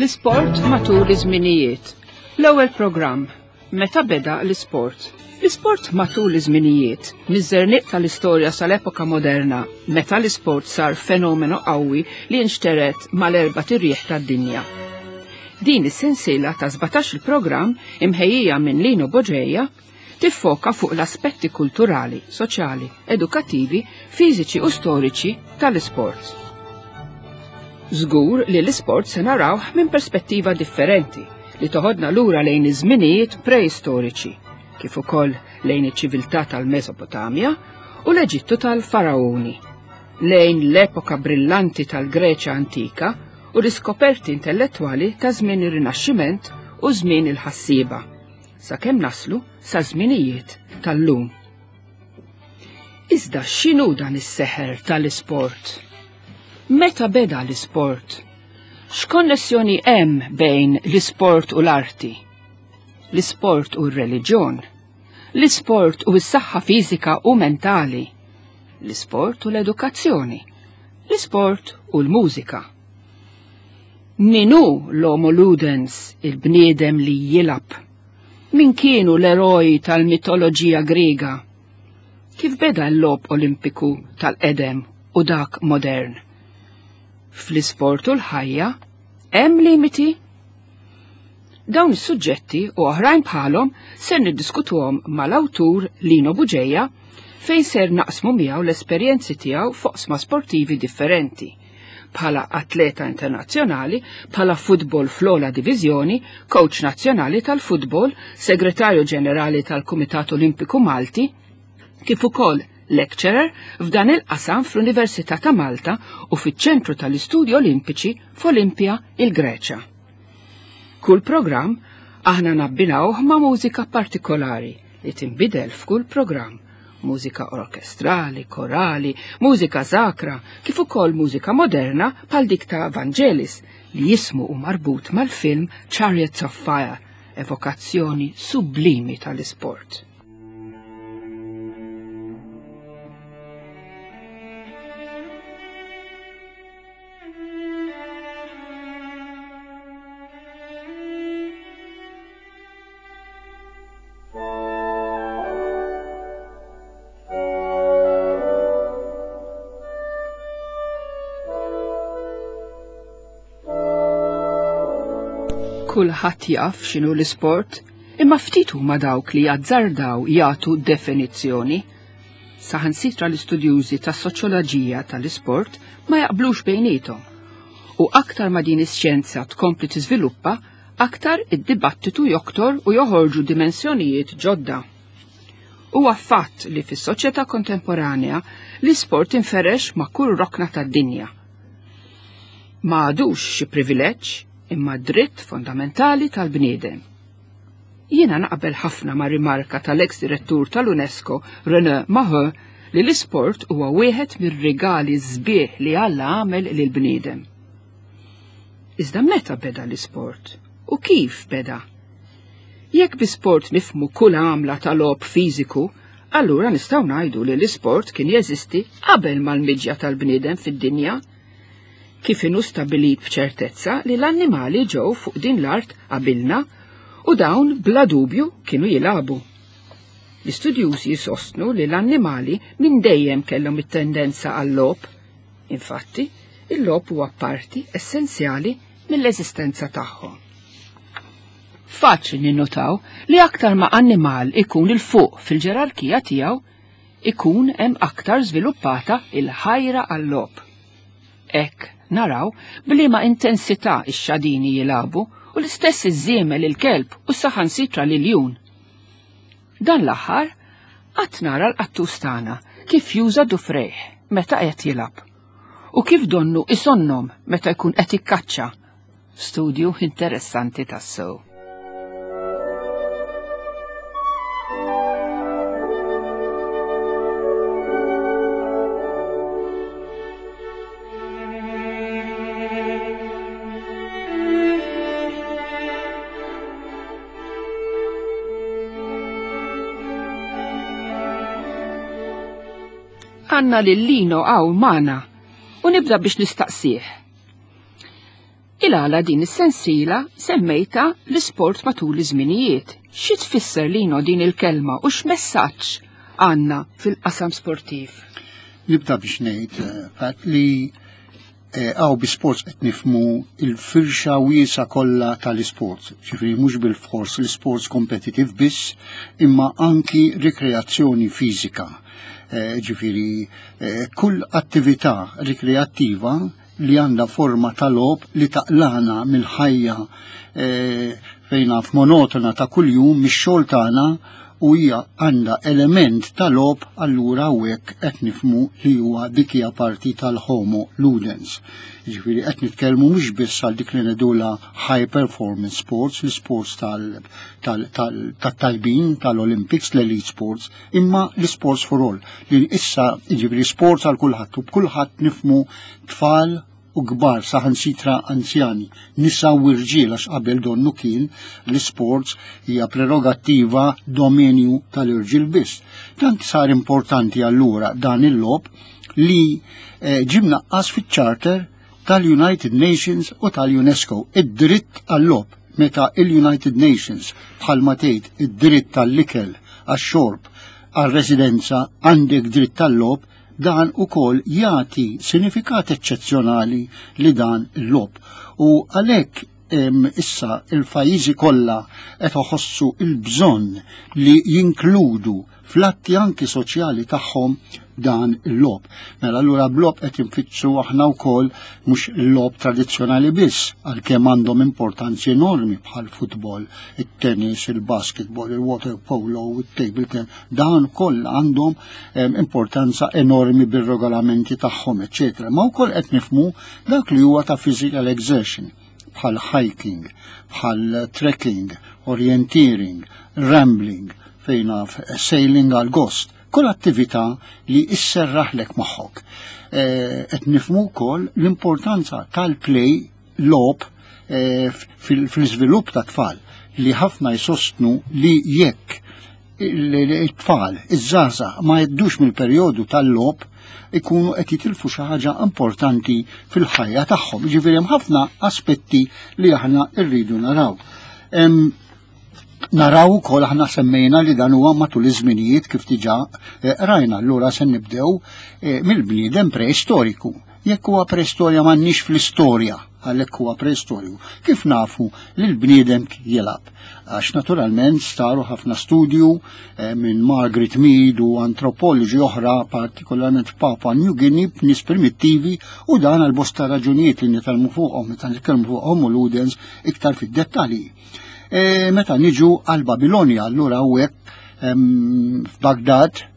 L-isport matul iż-żminijiet. L-ewwel programm. Meta beda l-isport? L-isport matul iż-żminijiet, miż-żerniq tal-istorja sal-epoka moderna, meta l-isport sar fenomenu qawwi li nxtered mal-erbat irjieħ tad-dinja. Din is-sensiela ta' 17 il-programm imħejjija minn Lino Boġeja tiffoka fuq l-aspetti kulturali, soċjali, edukattivi, fiżiċi u storiċi tal-isport. Żgur li l-isport se narawh minn perspettiva differenti li toħodna lura lejn iż-żminijiet preistoriċi, kif ukoll lejn iċ-ċiviltà tal-Mesopotamja u l-Eġittu tal-Faraoni, lejn l-epoka brillanti tal-Greċja antika u l-iskoperti intellettwali ta' żmien ir-Rinaxximent u żmien il-ħassieba, sakemm naslu sa żminijiet tal-lum. Iżda x'inhu dan is-seħer tal-isport? Meta beda l-isport? X'konnessjoni hemm bejn l-isport u l-arti? L-isport u r-reliġjon? L-isport u s-saħħa fiżika u mentali? L-isport u l-edukazzjoni? L-isport u l-mużika? Min hu l-homo ludens, il-bniedem li jilgħab? Min kienu l-eroj tal-mitoloġija Griega? Kif beda l-logħob Olimpiku tal-qedem u dak modern? Fl-isport u l-ħajja hemm limiti? Dawn is-suġġetti u oħrajn bħalhom ser niddiskutuhom mal-awtur Lino Buġeja fejn ser naqsmu miegħu l-esperjenzi tiegħu f'oqsma sportivi differenti bħala atleta internazzjonali, bħala futbol fl-ogħla diviżjoni, coach nazzjonali tal-futbol, segretarju ġenerali tal-Kumitat Olimpiku Malti, kif ukoll lecturer f'dan il-qasam fl-Università ta' Malta u fiċ-Ċentru tal-Istudji Olimpiċi f'Olimpja, il-Greċja. Kull programm aħna nabbinawh ma' mużika partikolari li tinbidel f'kull programm mużika orkestrali, korali, mużika sakra, kif ukoll mużika moderna bħal dik ta' Vangelis li jismu u marbut mal-film Chariots of Fire, evokazzjoni sublimi tal-isport. Kulħadd jaf x'inhu l-isport, imma ftit huma dawk li jazzardaw jagħtu definizzjoni. Saħansitra l-istudjużi tas-soċjoloġija tal-isport ma jaqblux bejniethom. U aktar ma din ix-xjenza tkompli tiżviluppa, aktar id-dibattitu joktor u joħorġu dimensjonijiet ġodda. Huwa fatt li fis-soċjetà kontemporanea l-isport inferex ma' kull rokna tad-dinja. Ma għadux xi privileġġ imma dritt fondamentali tal-bniedem. Jiena naqbel ħafna ma' rimarka tal-ex direttur tal-UNESCO René Maheu li l-isport huwa wieħed mir-rigali sbieħ li Alla għamel lill-bniedem. Iżda meta beda l-isport? U kif beda? Jekk bi sport nifmu kull għamla ta' logħob fiżiku, allura nistgħu ngħidu li l-isport kien jeżisti qabel mal-miġja tal-bniedem fid-dinja. Kif inhu stabbilit b'ċertezza li l-annimali ġew fuq din l-art qabilna u dawn bla dubju kienu jilagħbu. L-istudjużi jsostnu li l-annimali minn dejjem kellhom it-tendenza għal-logħob. Infatti, il-logħob huwa parti essenzjali mill-eżistenza tagħhom. Faċli ninnotaw li aktar ma annimal ikun 'il fuq fil-ġerarkija tiegħu, ikun hemm aktar żviluppata il-ħajra għal-logħob. Hekk naraw b'liema intensità x-xadini jilagħbu u l-istess iż-żiemel il-kelb u saħansitra l-iljun. Dan l-aħħar qatt nara l-qattus tagħna kif juża dufrejh meta qed jilgħab u kif donnu isonnom meta jkun qed ikkaċċa. Studju interessanti tassew. Għandna lil Lino hawn magħna u nibda biex nistaqsih. Il-għala din is-sensiela semmejta l-isport matul iż-żminijiet. Xi tfisser Lino din il-kelma u x'messaġġ għandna fil-qasam sportiv? Nibda biex ngħid eh, Pat li eh, għaw bi sports qed nifmu il-firxa wiesa kollha tal-isports, ġifieri mhux bil-fors l-isports kompetitiv biss, imma anki rikreazzjoni fiżika. Eh, ġifieri kull attività rikreattiva li għandha forma ta' logħob li taqlana mill-ħajja fejn naf monotona ta' kuljum mix-xogħol tagħna u hija għandha element ta' logħob allura hawnhekk qed nifhmu li huwa dik hija parti tal-homo ludens. Jiġifieri qed nitkellmu mhux biss għal dik li ngħidulha high performance sports, l-sports tal-tajbin tal-Olympics, l-elite sports, imma l-sports for all li issa jiġifieri sports għal kulħadd u b'kulħadd nifhmu tfal u kbar saħansitra anzjani, nisa u rġiel għax qabel donnu kien l-isports hija prerogattiva dominju tal-irġiel biss. Tant sar importanti allura dan il-logħob li eh, ġie mnaqqas fiċ-charter tal-United Nations u tal-UNESCO id-dritt għall-logħob meta il-United Nations bħalma tgħid id-dritt tal-ikel għax-xorb għar-residenza għandek dritt tal-logħob dan ukoll jagħti sinifikat eċċezzjonali li dan il-logħob. U għalhekk issa il-pajjiżi kollha qed iħossu il-bżonn li jinkludu fl-atti anki soċjali tagħhom dan il-logħob. Mela allura b'logħob qed infittxu aħna wkoll mhux il-logħob tradizzjonali biss għalkemm għandhom importanzi enormi bħal futbol, it-tennis, il-basketball, il-water polo, il-table tennis, dan koll għandhom importanza enormi bir-regolamenti tagħhom, eċetera. Ma wkoll qed nifhmu dak li huwa ta' physical exertion bħal hiking, bħal trekking, orienteering, rambling, fejn naf sailing għal gost, kull attività li isserraħlek moħħok. Eh, qed nifhmu wkoll l-importanza tal-play logħob eh, fil-iżvilupp ta' tfal li ħafna jsostnu li jekk it-tfal, iż-żgħażagħ ma jgħaddux mill-perjodu tal-logħob ikunu qed jitilfu xi ħaġa importanti fil-ħajja tagħhom. Ġifieri hemm ħafna aspetti li aħna rridu naraw. Naraw ukoll aħna semmejna li dan huwa matul iż-żminijiet kif diġà eh, rajna, allura se nibdew eh, mill-bniedem preistoriku. Jekk huwa preistorja m'għandniex fl-istorja, għalhekk huwa preistorju. Kif nafu li l-bniedem jilgħab? Għax naturalment saru ħafna studju eh, minn Margaret Mead u antropoloġi oħra, partikolarment f'Papua New Guinea, b'nies primittivi u dan għal bosta raġunijiet li nitalmu fuqhom meta nitkellmu fuq Homo ludens iktar fid-dettalji. E, meta niġu għal Babilonja, allura hawnhekk f'Bagdad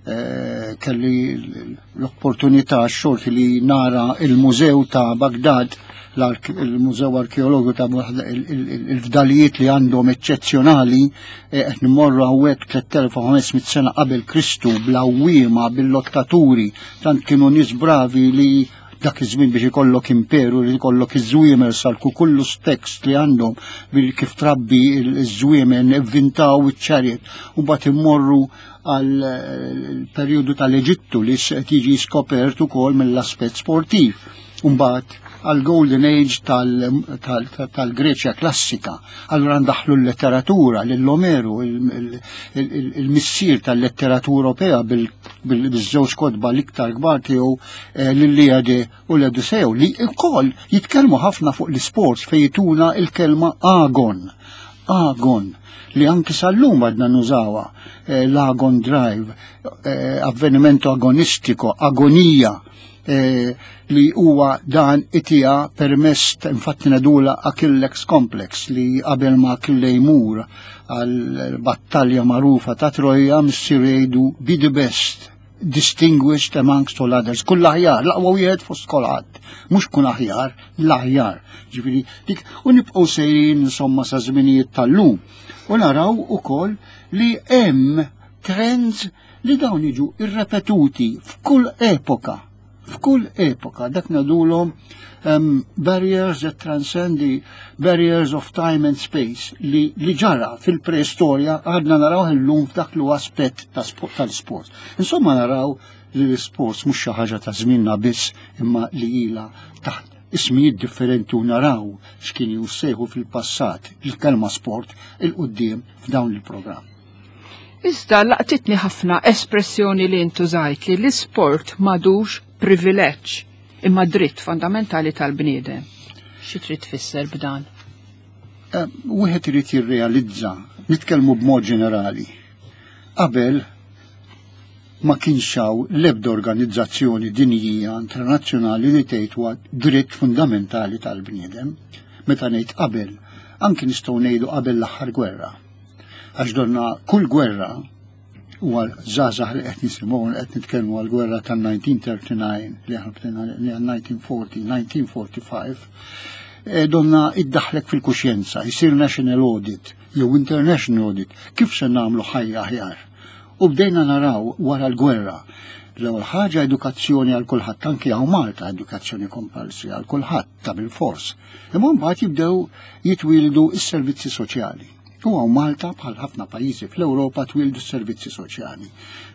Eh, kelli l-opportunità xorti li nara il-mużew ta' Bagdad, il-Mużew Arkeologu ta' il-fdalijiet li għandhom eċċezzjonali, eh, qed nimorru hawnhekk 3500 sena qabel Kristu bl-awwiema, bil-lottaturi, tant kienu nies bravi li dak iż-żmien biex ikollok imperu li ikollok iż-żwiemer sal-kukullu tekst li għandhom bil kif trabbi iż-żwiemer ivvintaw iċ-ċariet u mbagħad immorru għal eh, perjodu tal-Eġittu li qed jiġi skopert ukoll mill-aspett sportiv. Mbagħad għal Golden Age tal-Greċja klassika. Allura ndaħlu l-letteratura, l-Omeru, il-missier tal-letteratura Ewropea bil-żewġ kotba l-iktar kbar tiegħu eh, l-Iliade u l-Odisseo li wkoll jitkellmu ħafna fuq l-isports fejn jituna il-kelma agon. Agon li anki sal-lum għadna nużawa eh, l-agon drive, eh, avvenimento agonistiko, agonija eh, li huwa dan itija permess infatti nadula Achillex Complex li qabel ma Achille jmur għal battalja magħrufa ta' Troja missier jgħidu be the best distinguished amongst all others. Kull aħjar, l-aqwa wieħed fost kulħadd. Mhux kun aħjar, l-aħjar. Ġifieri dik u nibqgħu sejrin insomma sa żminijiet tal-lum. U naraw ukoll li hemm trends li dawn jiġu irrepetuti f'kull epoka. F'kull epoka, dak ngħidulhom um, barriers that transcend the barriers of time and space li, li ġara fil-preistorja għadna naraw illum f'dak l aspett tal-sport. Insomma naraw li l-isports mhux xi ħaġa ta' żmienna biss imma li ilha taħt ismijiet differenti u naraw x'kien jussejħu fil-passat il-kelma sport il-quddiem f'dawn il-programm. Iżda laqtitni ħafna espressjoni li intużajt li l-isport m'għadux privileġġ imma dritt fondamentali tal-bniedem. Xi trid tfisser b'dan? Wieħed irid jirrealizza, nitkellmu b'mod ġenerali. Qabel ma kienx hawn l-ebda organizzazzjoni dinjija internazzjonali li tgħid huwa dritt fundamentali tal-bniedem. Meta ngħid qabel, anki nistgħu ngħidu qabel l-aħħar gwerra. Għax donna kull gwerra u għal żgħażagħ li qed nisimgħu qed nitkellmu għal gwerra tan-1939 li aħna bdejna li għal 1940, 1945, donna iddaħlek fil-kuxjenza, jsir national audit jew international audit, kif se nagħmlu ħajja aħjar. U bdejna naraw wara l-gwerra l-ewwel ħaġa edukazzjoni għal kulħadd, anki hawn Malta edukazzjoni kompulsri għal kulħadd ta' bil-fors. Imma mbagħad jibdew jitwieldu s-servizzi soċjali. U hawn Malta bħal ħafna pajjiżi fl-Ewropa twildu s-servizzi soċjali.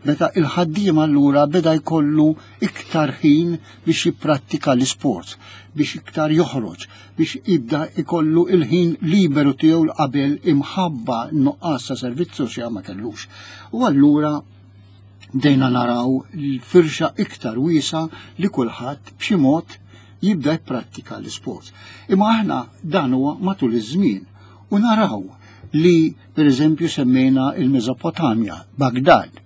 Meta il-ħaddiem allura beda jkollu iktar ħin biex jipprattika l-isport, biex iktar joħroġ, biex jibda jkollu il-ħin liberu tiegħu qabel imħabba nuqqas ta' servizz soċjali ma kellux. U allura bdejna naraw l-firxa iktar wiesa li kulħadd b'xi mod jibda jipprattika l-isport. Imma aħna dan huwa matul iż-żmien u naraw li per eżempju semmejna il-Mesopotamja, Bagdad,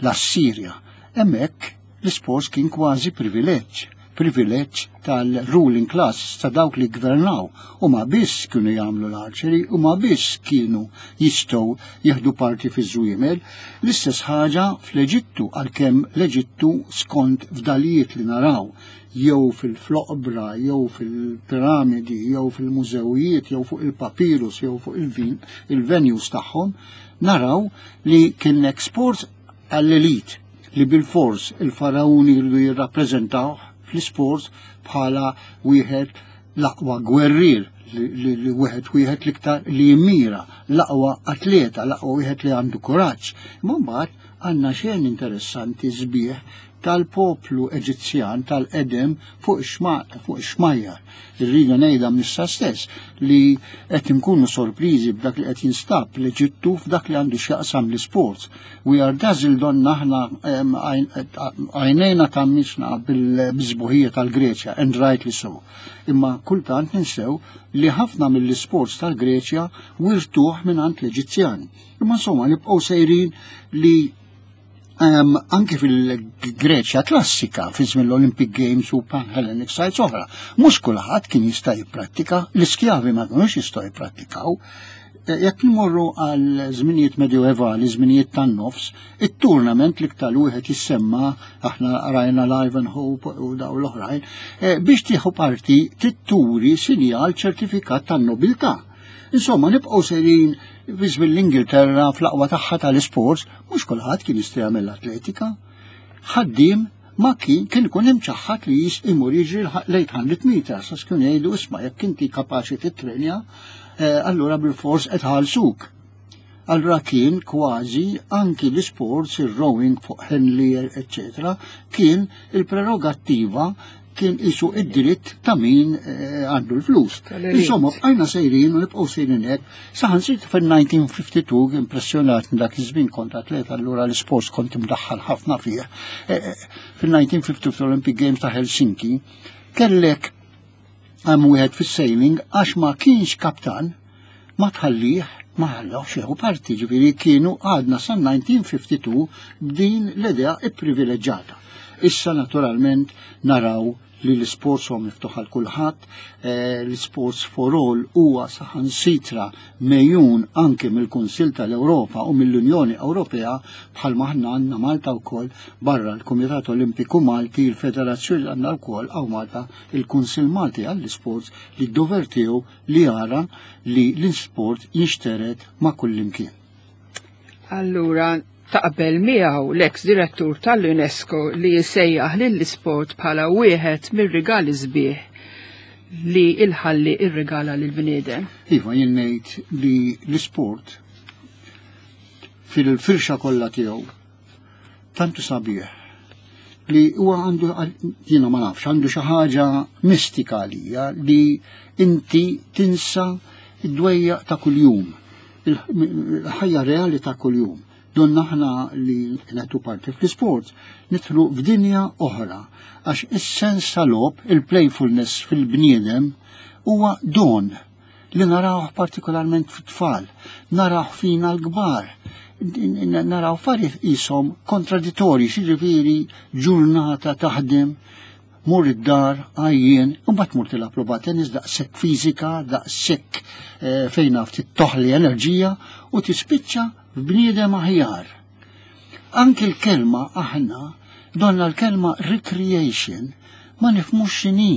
l-Assirja, hemmhekk l-isport kien kważi privileġġ, privileġġ tal-ruling class ta' dawk li gvernaw u ma biss kienu jagħmlu l-archery u ma biss kienu jistgħu jieħdu parti fiż-żwiemel. L-istess ħaġa fl-Eġittu għalkemm l-Eġittu skont fdalijiet li naraw jew fil-floqbra, jew fil-piramidi, jew fil-mużewijiet, jew fuq il-papirus, jew fuq il-venues tagħhom, naraw li kien sport għall-elit li bil-fors il-farauni jridu jirrappreżentaw fl-isport bħala wieħed l-aqwa gwerrier li wieħed wieħed l-iktar li jimmira, l-aqwa atleta, l-aqwa wieħed li għandu kuraġġ. Imma mbagħad għandna xejn interessanti sbieħ tal-poplu Eġizzjan tal-qedem fuq ix-xmajjar. Irridu ngħidha missa stess li qed inkunu sorpriżi b'dak li qed jinstab l-Eġittu f'dak li għandu x'jaqsam l-isports. We are dazzled donna aħna għajnejna tammisna bil-sbuħija tal-Greċja, and rightly so. Imma kultant ninsew li ħafna mill-isports tal-Greċja wirtuh minn l-Eġizzjani. Imma insomma nibqgħu sejrin li anki fil-Greċja klassika, fi żmien l-Olympic Games u Pan-Hellenic sites oħra, mhux kulħadd kien jista' jipprattika, l-iskjavi ma kinux jistgħu jipprattikaw. Jekk nimorru għal żminijiet medjoevali, żminijiet tan-nofs, it-tournament li iktar wieħed jissemma, aħna rajna l-Ivanhoe u daw l-oħrajn, biex tieħu parti titturi sinjal ċertifikat tan-nobiltà. Insomma, nibqgħu sejrin fi żmien l-Ingilterra fl-aqwa tagħha tal-isports, mhux kulħadd kien jista' jagħmel l-atletika. Ħaddiem ma kien kien ikun imċaħħad li jis imur jiġri l-800 meters, għax kienu jgħidu isma' jekk inti kapaċi titrenja, allura bil-fors qed ħalsuk. Allura kien kważi anki l-isports, il-rowing fuq Henley, eccetera, kien il-prerogattiva kien isu id-dritt ta' min għandu l-flus. Insomma, bqajna sejrin u nibqgħu sejrin hekk. Saħansitra fil-1952 impressjonat minn dak iż-żmien kont atleta allura l-isports kont imdaħħal ħafna fih. Fil-1952 Olympic Games ta' Helsinki kellek hemm wieħed fis-sailing għax ma kienx kaptan ma tħallih ma ħallawx jieħu parti, ġifieri kienu għadna sa 1952 b'din l-idea ipprivileġġata. Issa naturalment naraw li l-sports huwa miftuħ għal kulħadd, l-sports for all huwa saħansitra mejjun anke mill-Kunsill tal-Ewropa u mill-Unjoni Ewropea bħalma aħna għandna Malta wkoll barra l-Kumitat Olimpiku Malti, il-Federazzjoni għandna wkoll hawn Malta il-Kunsill Malti għall-Isports li d-dover tiegħu li jara li l-isport jinxtered ma' kullimkien. Allura, taqbel miegħu l-ex direttur tal-UNESCO li jsejjaħ lill-isport bħala wieħed mir-rigali sbieħ li il-ħalli irrigala lil bniedem. Iva, jien ngħid li l-isport fil-firxa kollha tiegħu tantu sabiħ Li huwa għandu, jiena ma nafx, għandu xi ħaġa mistika għalija li inti tinsa id-dwejjaq ta' kuljum, il-ħajja reali ta' kuljum. Donna aħna li nagħtu parti fl-isport, nidħlu f'dinja oħra, għax is-sens tal-logħob, il-playfulness fil-bniedem huwa don li narawh partikolarment fit-tfal, narawh fina l-kbar, naraw affarijiet qishom kontradittorji, xiġifieri ġurnata taħdem, mur id-dar, għajjien, u mbagħad mur tilgħab logħba tennis daqshekk fiżika, daqshekk eh, fejn naf toħli enerġija u tispiċċa f'bniedem aħjar. Anki l-kelma aħna donna l-kelma recreation ma nifhmux x'inhi.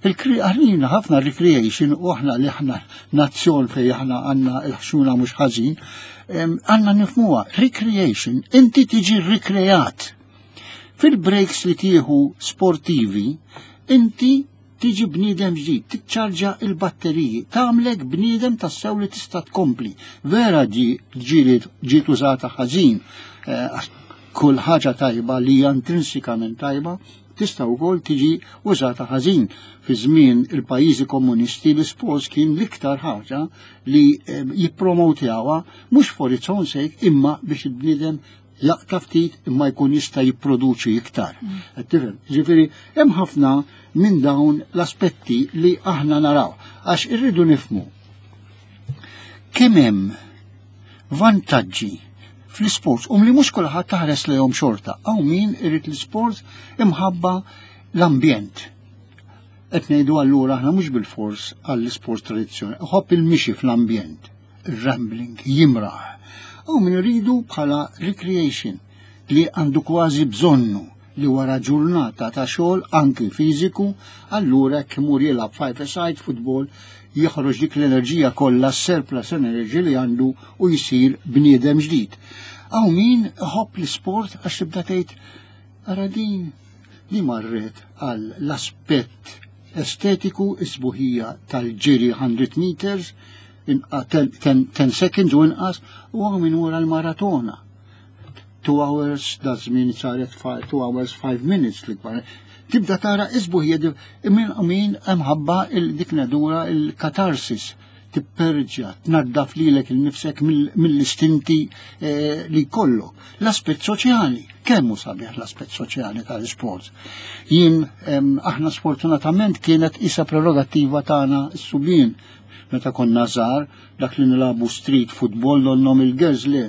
Għalina ħafna recreation u aħna li aħna nazzjon fej aħna għandna l-ħxuna mhux ħażin, għandna nifhmuha. Recreation, inti tiġi rikreat. Fil-breaks li tieħu sportivi, inti tiġi bniedem ġdid, tiċċarġa il-batteriji, tagħmlek bniedem tassew li tista' tkompli. Vera ġieli ġiet użata ħażin, eh, kull ħaġa tajba li hija intrinsikament tajba, tista' wkoll tiġi użata ħażin. Fi żmien il-pajjiżi komunisti l-isports kien l-iktar ħaġa li eh, jippromotjawha mhux for its own sake imma biex il-bniedem jaqta' ftit imma jkun jista' jipproduċi iktar. Mm. Qed tifhem? Ġifieri hemm ħafna minn dawn l-aspetti li aħna naraw għax irridu nifhmu kemm hemm vantaġġi fl-isports um li mhux kulħadd taħres lejhom xorta. Hawn min irid l-isport imħabba l-ambjent. Qed ngħidu allura aħna mhux bil-fors għall-isport tradizzjonali, ħobb il-mixi fl-ambjent, ir-rambling, jimraħ. Hawn min iridu bħala recreation li għandu kważi bżonnu li wara ġurnata ta' xogħol anki fiżiku, allura jekk imur jilgħab five side football joħroġ dik l-enerġija kollha surplus energy li għandu u jsir bniedem ġdid. Hawn min iħobb l-isport għax tibda tgħid ara din li marret għal l-aspett estetiku is-sbuħija tal-ġiri 100 meters 10 seconds u inqas u hawn min wara l-maratona. 2 hours, da żmien saret 2 hours 5 minutes l-ikbar. Tibda tara isbuħ min min mħabba dik nadura il-katarsis tipperġa, tnaddaf lilek il-nifsek mill-istinti eh, li kollu. L-aspett soċjali, kemm hu sabiħ l-aspett soċjali tal-isport. Jien aħna sfortunatament kienet isa prerogattiva tagħna s-subien meta konna żgħar dak li nilagħbu street football donnom il-girls le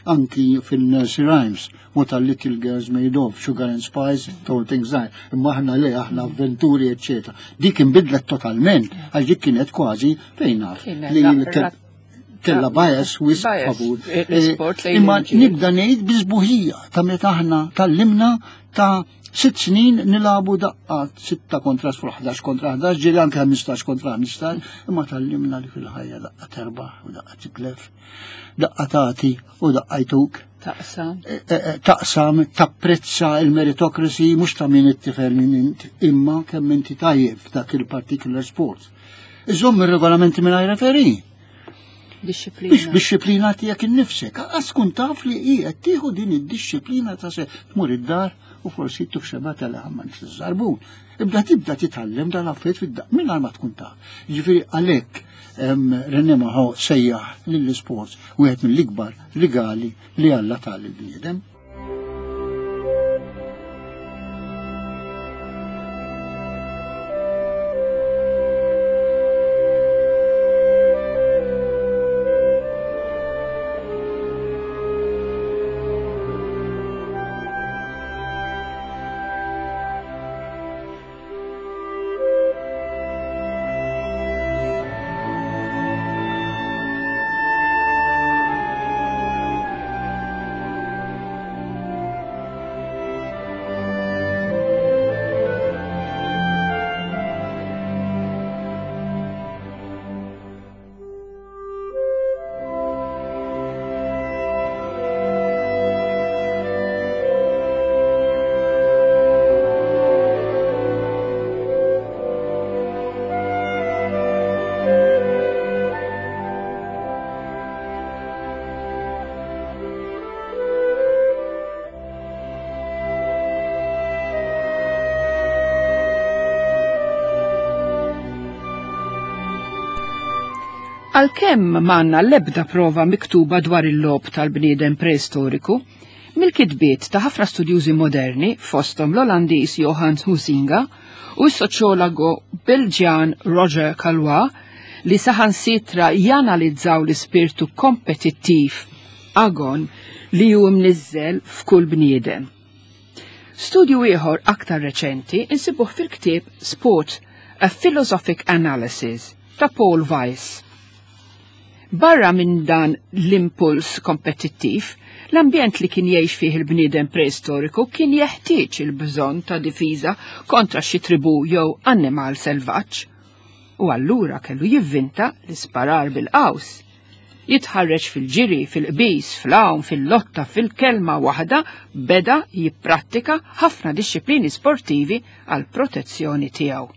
anki fil-nursery rhymes, what are little girls made of, sugar and spice, told things like, imma aħna le, aħna avventuri, eccetera. Dik inbidlet totalment, għax dik kienet kważi fejn naf. Li kella bias wis favur. Eh, eh, imma nibda ngħid biżbuħija ta' meta aħna tallimna ta' sitt snin nilabu daqqa 6 kontra 11 kontra 11, ġieli anke 15 kontra 15, imma tallimna li fil-ħajja daqqa terbaħ u daqqa titlef. Daqqa tagħti u daqqa jtuk. Taqsam. E, e, e, taqsam, tapprezza il-meritocracy mhux ta' min it-tifel min int, imma kemm inti tajjeb f'dak il-particular sport. Iżomm ir-regolamenti mingħajr referi. Disciplina. Biex disciplina tiegħek innifsek. Għas tkun taf li hi qed tieħu din id-disciplina ta' se tmur id-dar u forsi tuk xeba tal-ħamma żarbun. Ibda tibda titgħallem dal-affarijiet fid-daq mingħajr ma tkun taf. Jiġifieri għalhekk René Maho sejjaħ lill-isports wieħed mill-ikbar rigali li Alla ta lill-bniedem. Għalkemm m'għandna l-ebda prova miktuba dwar il-logħob tal-bniedem preistoriku, mill-kitbiet ta' ħafna studjużi moderni fosthom l-Olandiż Johann Huizinga u s-soċjologu Belġjan Roger Calois li saħansitra janalizzaw l-ispirtu kompetittiv agon li hu mniżżel f'kull bniedem. Studju ieħor aktar reċenti insibuh fil-ktieb Sport, A Philosophic Analysis ta' Paul Weiss. Barra minn dan l-impuls kompetittiv, l-ambjent li kien jgħix fih il-bniedem preistoriku kien jeħtieġ il-bżonn ta' difiża kontra xi tribù jew annimal selvaġġ. U allura kellu jivvinta l-isparar bil-qaws. Jitħarreġ fil-ġiri, fil-qbiż, fl-għawm, fil-lotta, fil-kelma waħda beda jipprattika ħafna dixxiplini sportivi għal protezzjoni tiegħu.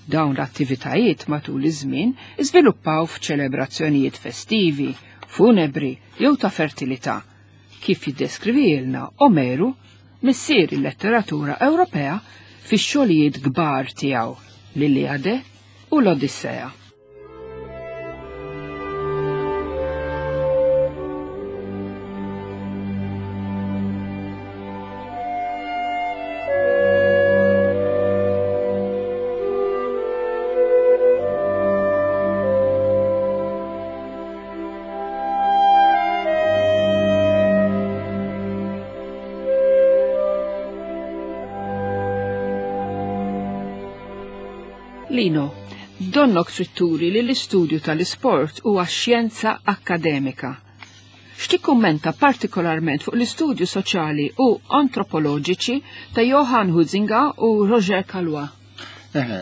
Dawn l-attivitajiet matul iż-żmien iżviluppaw f'ċelebrazzjonijiet festivi, funebri jew ta' fertilità, kif jiddeskrivilna Omeru, missier il-letteratura Ewropea, fix-xogħlijiet kbar tiegħu, l-Iliade u l-Odissea. Lino, donnok trid turi li l-istudju tal-isport huwa xjenza akkademika. X'tikkummenta partikolarment fuq l-istudju soċjali u antropoloġiċi ta' Johann Huizinga u Roger Calois? Eħe,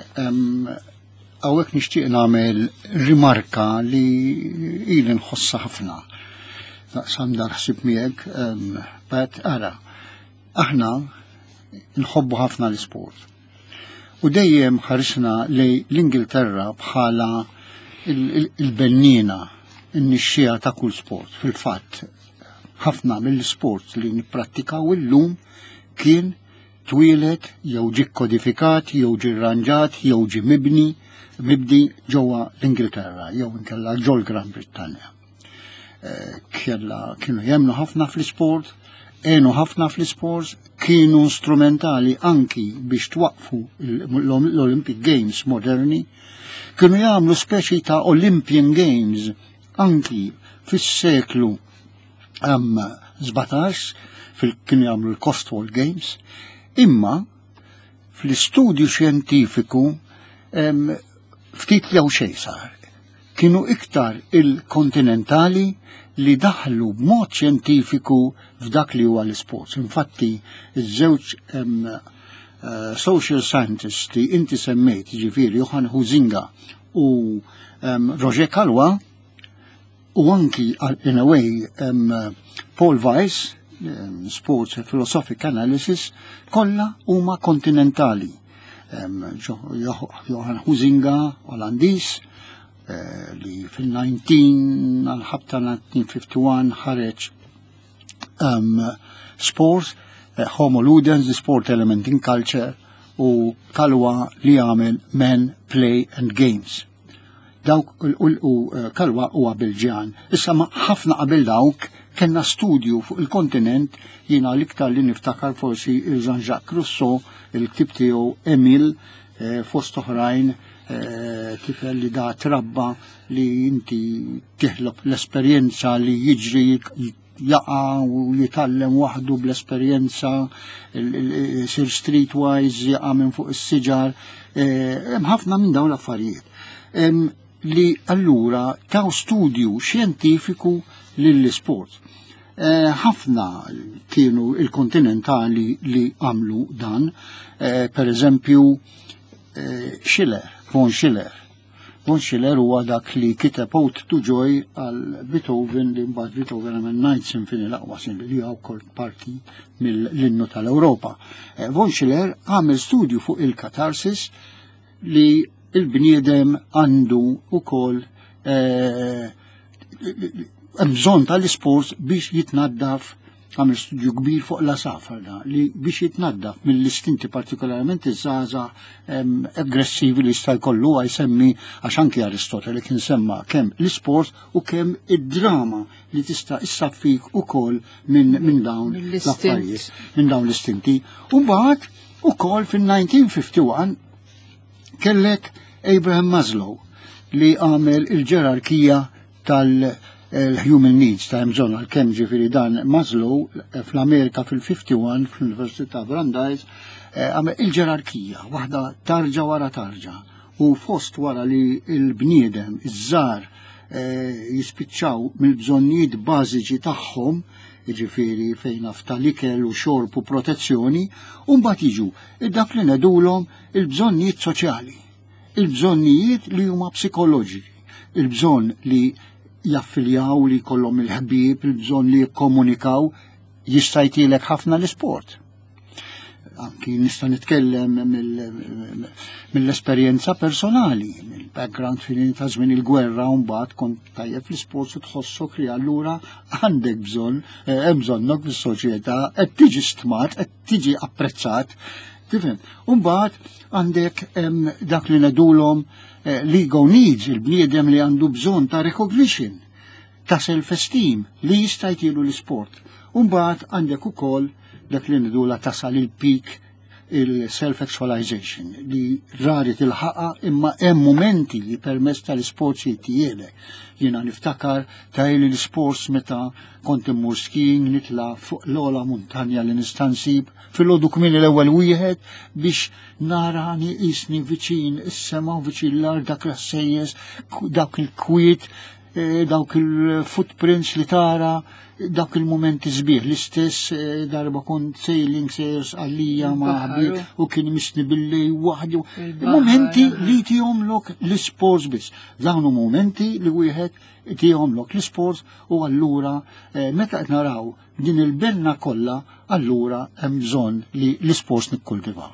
hawnhekk nixtieq nagħmel rimarka li ili nħossha ħafna. Naqsam dal-ħsieb miegħek, but ara, aħna nħobbu ħafna l-isport. U dejjem ħarisna li l-Ingilterra bħala il-bennina, in-nixxija ta' kull sport. Fil-fatt, ħafna mill-sport li nipprattikaw illum kien twieled jew ġie kodifikat jew ġie rranġat jew ġie mibni mibdi ġewwa l-Ingilterra jew inkella ġol Gran Brittanja. Kella kienu jemnu ħafna fl-isport, għenu ħafna fl-isport, kienu strumentali anki biex twaqfu l-Olympic Games moderni, kienu jagħmlu speċi ta' Olympian Games anki fis-seklu 17 fil kienu jagħmlu l-Cotswold Games, imma fl-istudju xjentifiku ftit jew xejn sar. Kienu iktar il-kontinentali li daħlu b'mod xjentifiku f'dak li huwa l-isports. Infatti, iż-żewġ social scientists li inti semmejt, ġifieri Johann Huizinga u Roger Calois, u anki in a way Paul Weiss, Sports Philosophic Analysis, kollha huma kontinentali. Johann Huizinga, Olandiż, li fil-19 għal-ħabta 1951 ħareġ Sports, Homo Ludens, the Sport Element in Culture, u Calois li għamel Men, Play and Games. Dawk u Calois huwa Belġjan. Issa ma ħafna qabel dawk kellna studju fuq il-kontinent, jiena l-iktar li niftakar forsi il-Jean-Jacques Rousseau, il-ktib tiegħu Emile, fost oħrajn, tifel li da trabba li inti tiħlob l-esperjenza li jiġri jaqa' u jitgħallem waħdu bl-esperjenza, sir streetwise, jaqa' minn fuq is-siġar, hemm ħafna minn dawn l-affarijiet. Li allura taw studju xjentifiku lill-isport. Ħafna kienu il-kontinentali li għamlu dan, per eżempju Schiller, von Schiller. Von Schiller huwa dak li kiteb Ode to Joy għal Beethoven, li mbagħad Beethoven għamel Ninth Symphony, l-aqwa symphony li huwa wkoll parti mill-innu tal-Ewropa. Von Schiller għamel studju fuq il-katarsis li il-bniedem għandu ukoll hemm bżonn tal-isport biex jitnaddaf. Għamel studju kbir fuq l-asafar da, li biex jitnaddaf mill-istinti partikolarment iż-żgħażagħ aggressivi li jista' jkollu jsemmi għax anki Aristotele kien semma kemm l-isport u kemm id-drama li tista' issaffik ukoll minn min dawn l-affarijiet, minn dawn l-istinti. U mbagħad ukoll fin-1951 kellek Abraham Maslow li għamel il-ġerarkija tal-human needs ta' bżonn għal-kemm ġifieri dan Maslow eh, fl-Amerika fil-51 fl-Università Brandeis eh, għamel il-ġerarkija waħda tarġa wara tarġa u fost wara li il-bniedem iż-żar eh, jispiċċaw mill-bżonnijiet bażiċi tagħhom jiġifieri fejn tal-ikel u xorb u protezzjoni, u mbagħad jiġu dak li nedulhom il-bżonnijiet soċjali, il-bżonnijiet li huma psikoloġiċi, il-bżonn li jaffiljaw li jkollhom il-ħbieb, il-bżonn li jikkomunikaw, jista' jtilek ħafna l-isport. Anki nista' nitkellem mill-esperjenza personali, mill-background fil ta' żmien il-gwerra u mbagħad kont tajjeb fl-isport u tħossok li allura għandek bżonn, eh, hemm bżonnok fis-soċjetà, qed tiġi stmat, qed tiġi apprezzat. Tifhem? U mbagħad għandek dak li nedulhom eh, l-ego needs, il-bniedem li għandu bżonn ta' recognition, ta' self-esteem li jista' jtilu l-isport. U mbagħad għandek ukoll dak li nedula tasal il-peak il-self-actualization li rari tilħaqa imma hemm momenti li permezz tal-isports jittielek. Jiena niftakar ta' li l-isports meta kont immur skiing nitla fuq l-ola muntanja li nista' nsib fil-għodu kmieni l-ewwel wieħed biex narani qisni viċin is-sema u viċin l-art dak l-sejjes, dak il-kwiet, eh, dawk il-footprints li tara, dawk il-momenti sbieħ. L-istess eh, darba kont sailing sejers għalija ma' ħabib u kien misni billi waħdu. Momenti li tihomlok l-isports biss. Dawn momenti li wieħed tihomlok l-isports u allura eh, meta qed naraw din il-benna kollha allura hemm bżonn li l-isports nikkultivaw.